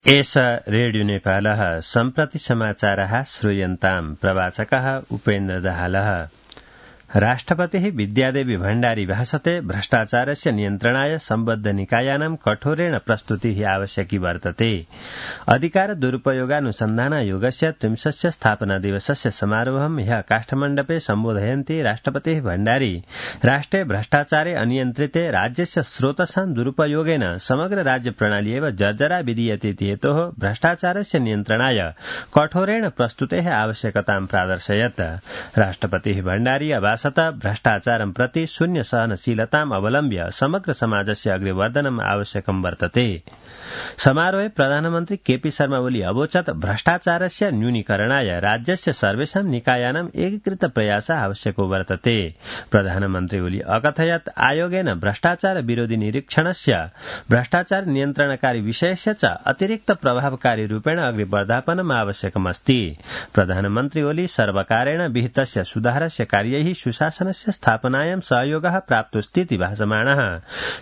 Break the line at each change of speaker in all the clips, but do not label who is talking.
एष रेडियो नेपालः सम्प्रति समाचारः श्रूयन्ताम् प्रवाचकः उपेन्द्र दाहालः। राष्ट्रपतिः विद्यादेवी भण्डारी भाषते भ्रष्टाचारस्य नियन्त्रणाय सम्बद्ध निकायानां कठोरेण प्रस्तुतिः आवश्यकी वर्तते। अधिकार दुरुपयोगानुसन्धानायोगस्य 30 स्थापना दिवसस्य समारोहं ह्यः काष्ठमण्डपे सम्बोधयन्ती राष्ट्रपतिः भण्डारी राष्ट्रे भ्रष्टाचारे अनियन्त्रिते राज्यस्य स्रोतसां दुरुपयोगेन समग्र राज्य प्रणाली एव जर्जरा विधीयते इति हेतोः भ्रष्टाचारस्य नियन्त्रणाय कठोरेण प्रस्तुतेः आवश्यकतां प्रादर्शयत्। राष्ट्रपतिः भण्डारी भ्रष्टाचारं प्रति शून्य सहनशीलताम् अवलम्ब्य समग्र समाजस्य अग्रेवर्धनम् आवश्यकं वर्तते। समारोहे प्रधानमन्त्री केपी शर्मा ओली अवोचत् भ्रष्टाचारस्य न्यूनीकरणाय राज्यस्य सर्वेषां निकायानां एकीकृत प्रयासः आवश्यको वर्तते। प्रधानमन्त्री ओली अकथयत् आयोगेन भ्रष्टाचार विरोधी निरीक्षणस्य भ्रष्टाचार नियन्त्रणकारी विषयस्य च अतिरिक्त प्रभावकारी रूपेण अग्रे वर्धापनम् आवश्यकमस्ति। प्रधानमन्त्री ओली सर्वकारेण विहितस्य सुधारस्य कार्यैः सुशासनस्य स्थापनायां सहयोगः प्राप्तोऽस्तीति भाषमाणः।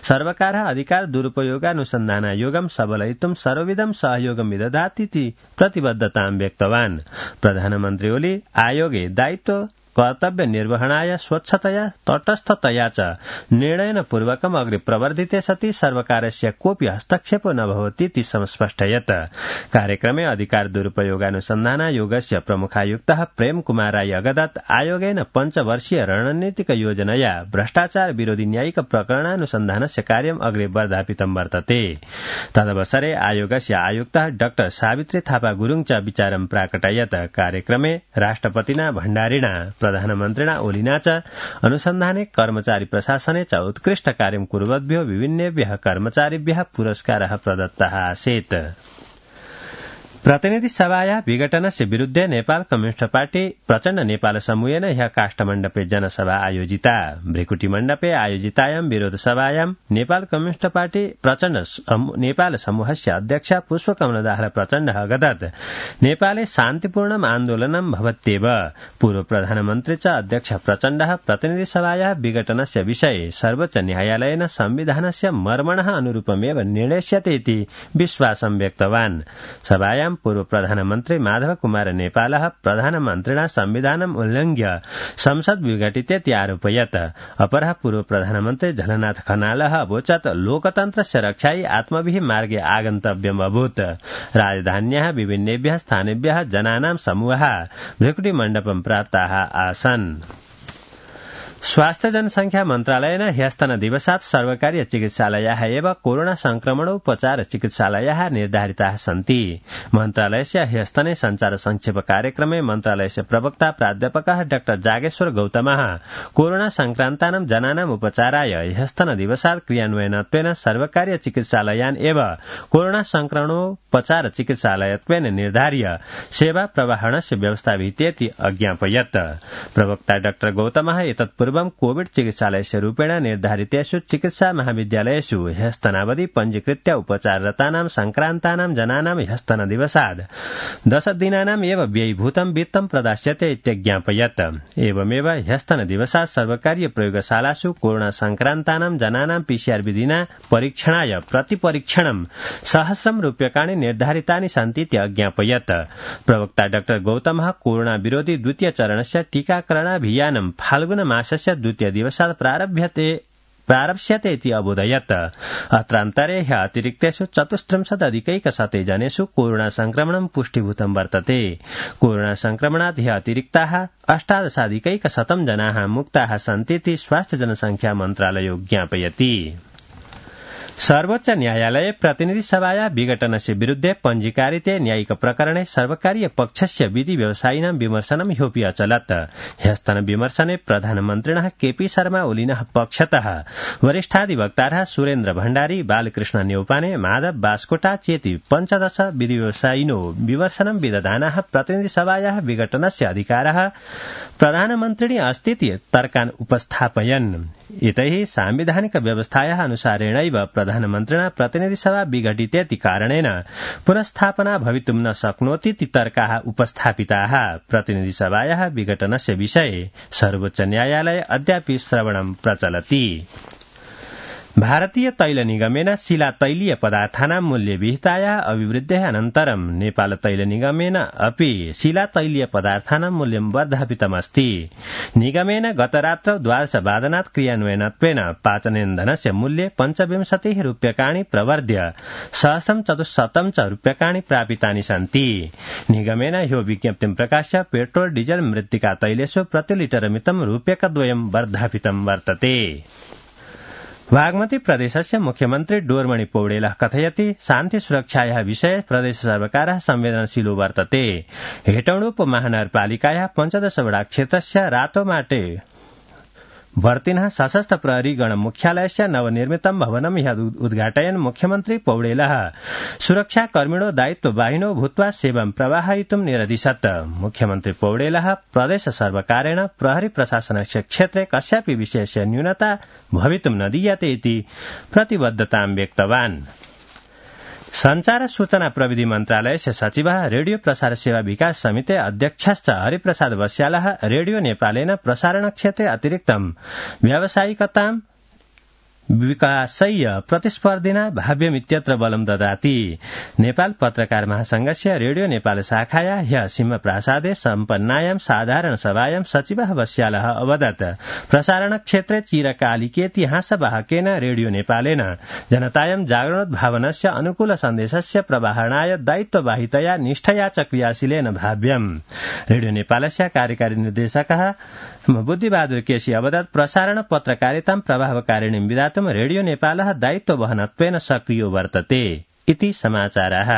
सर्वकारः अधिकार दुरुपयोगानुसन्धानायोगं सबलयितुं सर्वविधं सहयोगं विदधातीति प्रतिबद्धतां व्यक्तवान्। प्रधानमन्त्री ओली आयोगे दायित्व कर्तव्य निर्वहणाय स्वच्छतया तटस्थतया च निर्णयन पूर्वकम् अग्रे प्रवर्धिते सति सर्वकारस्य कोऽपि हस्तक्षेपो न भवतीति संस्पष्टयत्। कार्यक्रमे अधिकार दुरुपयोगानुसन्धानायोगस्य प्रमुखायुक्तः प्रेम कुमार राई अगदत् आयोगेन 5 वर्षीय रणनीतिक योजनया भ्रष्टाचार विरोधी न्यायिक प्रकरणानुसन्धानस्य कार्यम् अग्रे वर्धापितं वर्तते। तदवसरे आयोगस्य आयुक्तः डाक्टर सावित्री थापा गुरुङ च विचारं प्राकटयत्। कार्यक्रमे राष्ट्रपतिना भण्डारिणा प्रधानमन्त्रिणा ओलिना च अनुसन्धाने कर्मचारी प्रशासने च उत्कृष्ट कार्यं कुर्वद्भ्यो विभिन्नेभ्यः कर्मचारिभ्यः पुरस्कारः प्रदत्तः आसीत्। प्रतिनिधि सभाया विघटनस्य विरुद्ध नेपाल कम्युनिस्ट पार्टी प्रचण्ड नेपाल समूहेन ह्यः काष्ठमण्डपे जनसभा आयोजिता। भ्रिकुटी मण्डपे आयोजितायां विरोध सभायां नेपाल कम्युनिस्ट पार्टी प्रचण्ड नेपाल समूहस्य अध्यक्ष पुष्पकमल दाहाल प्रचण्ड अगदत् नेपाले शान्तिपूर्णम् आन्दोलनं भवत्येव। पूर्व प्रधानमन्त्री च अध्यक्ष प्रचण्ड प्रतिनिधि सभाया विघटनस्य विषये सर्वोच्च न्यायालयेन संविधानस्य मर्मणः अनुरूपमेव निर्णेष्यते इति विश्वासं व्यक्तवान्। सभायां पूर्व प्रधानमन्त्री माधव कुमार नेपालः प्रधानमन्त्रिणा संविधानम् उल्लङ्घ्य संसद विघटितेति आरोपयत्। अपरः पूर्व प्रधानमन्त्री झलनाथ खनालः अवोचत् लोकतन्त्रस्य रक्षायै आत्मभिः मार्गे आगन्तव्यम् अभूत्। राजधान्याः विभिन्नेभ्यः स्थानेभ्यः जनानां समूहः भ्रिकुटी मण्डपं प्राप्ताः आसन्। स्वास्थ्य जनसंख्या मन्त्रालयेन ह्यस्तनदिवसात् सर्वकारीय चिकित्सालयाः एव कोरोना संक्रमणोपचार चिकित्सालयाः निर्धारिताः सन्ति। मन्त्रालयस्य ह्यस्तने संचार संक्षेप कार्यक्रमे मन्त्रालयस्य प्रवक्ता प्राध्यापकः डाक्टर जागेश्वर गौतमः कोरोना संक्रान्तानां जनानाम् उपचाराय ह्यस्तनदिवसात् क्रियान्वयनत्वेन सर्वकारीय चिकित्सालयान् एव कोरोना संक्रमणोपचार चिकित्सालयत्वेन निर्धार्य सेवा प्रवाहणस्य व्यवस्था विहितेति अज्ञापयत्। प्रवक्ता डाक्टर गौतमः एतत् पूर्वं कोविड चिकित्सालयस्य रूपेण निर्धारितेषु चिकित्सा महाविद्यालयेषु ह्यस्तनावधि पञ्जीकृत्य उपचाररतानां संक्रान्तानां जनानां ह्यस्तनदिवसात् 10 दिनानाम् एव व्ययीभूतं वित्तं प्रदास्यते इत्यज्ञापयत्। एवमेव ह्यस्तनदिवसात् सर्वकारीय प्रयोगशालासु कोरोना संक्रान्तानां जनानां PCR विधिना परीक्षणाय प्रतिपरीक्षणं 100 रूप्यकाणि निर्धारितानि सन्तीति अज्ञापयत्। प्रवक्ता डाक्टर गौतमः कोरोना विरोधी द्वितीय चरणस्य टीकाकरणाभियानं फाल्गुन मासस्य द्वितीय दिवसात् प्रारप्स्यते इति अबोधयत्। अत्रान्तरे ह्यः अतिरिक्तेषु 34,000 जनेषु कोरोना संक्रमणं पुष्टीभूतं वर्तते। कोरोना संक्रमणात् ह्यः अतिरिक्ताः 18,100 जनाः मुक्ताः सन्तीति स्वास्थ्य जनसंख्या मन्त्रालयो ज्ञापयति। सर्वोच्च न्यायालये प्रतिनिधि सभाया विघटनस्य विरुद्धे पञ्जीकारिते न्यायिक प्रकरणे सर्वकारीय पक्षस्य विधि व्यवसायिनां विमर्शनं ह्योऽपि अचलत्। ह्यस्तन विमर्शने प्रधानमन्त्रिणः केपी शर्मा ओलिनः पक्षतः वरिष्ठाधिवक्तारः सुरेन्द्र भण्डारी, बालकृष्ण न्यौपाने, माधव बास्कोटा चेति 15 विधि व्यवसायिनो विमर्शनं विदधानाः प्रतिनिधि सभायाः विघटनस्य अधिकारः प्रधानमन्त्रिणी अस्तीति तर्कान् उपस्थापयन्। इतैः सांविधानिक व्यवस्थायाः अनुसारेणैव प्रधानमन्त्रिणा प्रतिनिधि सभा विघटितेति कारणेन पुनस्थापना भवितुं न शक्नोतीति तर्काः उपस्थापिताः। प्रतिनिधि सभायाः विघटनस्य विषये सर्वोच्च न्यायालये अद्यापि श्रवणं प्रचलति। भारतीय तैल निगमेन शिला तैलीय पदार्थानां मूल्य विहिताया अभिवृद्धेः अनन्तरं नेपाल तैल निगमेन अपि शिला तैलीय पदार्थानां मूल्यं वर्धापितमस्ति। निगमेन गतरात्रौ द्वादशवादनात् क्रियान्वयनत्वेन पाचनेन्धनस्य मूल्ये 25 रूप्यकाणि प्रवर्ध्य 174 च रूप्यकाणि प्रापितानि सन्ति। निगमेन ह्यो विज्ञप्तिं प्रकाश्य पेट्रोल डीजल मृत्तिका तैलेषु प्रतिलिटरमितं रूप्यकद्वयं वर्धापितं वर्तते। बागमती प्रदेशस्य मुख्यमन्त्री डोरमणि पौडेलः कथयति शान्ति सुरक्षायाः विषये प्रदेश सर्वकारः संवेदनशीलो वर्तते। हेटौडा उपमहानगरपालिकायाः 15 वडा क्षेत्रस्य रातोमाटे वर्तिनः सशस्त्र प्रहरी गण मुख्यालयस्य नवनिर्मितं भवनं ह्यः उद्घाटयन् मुख्यमन्त्री पौडेलः सुरक्षाकर्मिणो दायित्ववाहिनो भूत्वा सेवां प्रवाहयितुं निरदिशत्। मुख्यमन्त्री पौडेलः प्रदेश सर्वकारेण प्रहरी प्रशासनस्य क्षेत्रे कस्यापि विषयस्य न्यूनता भवितुं न दीयते इति प्रतिबद्धतां व्यक्तवान्। संचार सूचना प्रविधि मन्त्रालयस्य सचिवः रेडियो प्रसार सेवा विकास समिति अध्यक्षश्च हरिप्रसाद बस्यालः रेडियो नेपालेन प्रसारण क्षेत्रे अतिरिक्तं व्यावसायिकतां विकासय्य प्रतिस्पर्धिना भाव्यमित्यत्र बलं ददाति। नेपाल पत्रकार महासंघस्य रेडियो नेपाल शाखाया ह्यः सिंहप्रासादे सम्पन्नायां साधारण सभायां सचिवः बस्यालः अवदत् प्रसारण क्षेत्रे चिरकालिकेतिहासवाहकेन रेडियो नेपालेन जनतायां जागरणोद्भावनस्य अनुकूल सन्देशस्य प्रवाहणाय दायित्ववाहितया निष्ठया च क्रियाशीलेन भाव्यम्। रेडियो नेपालस्य कार्यकारी निर्देशकः बुद्धिबहादुर केसी अवदत् प्रसारण पत्रकारितां प्रभावकारिणीं विधातुं रेडियो नेपालः दायित्ववहनत्वेन सक्रियो वर्तते इति समाचारः।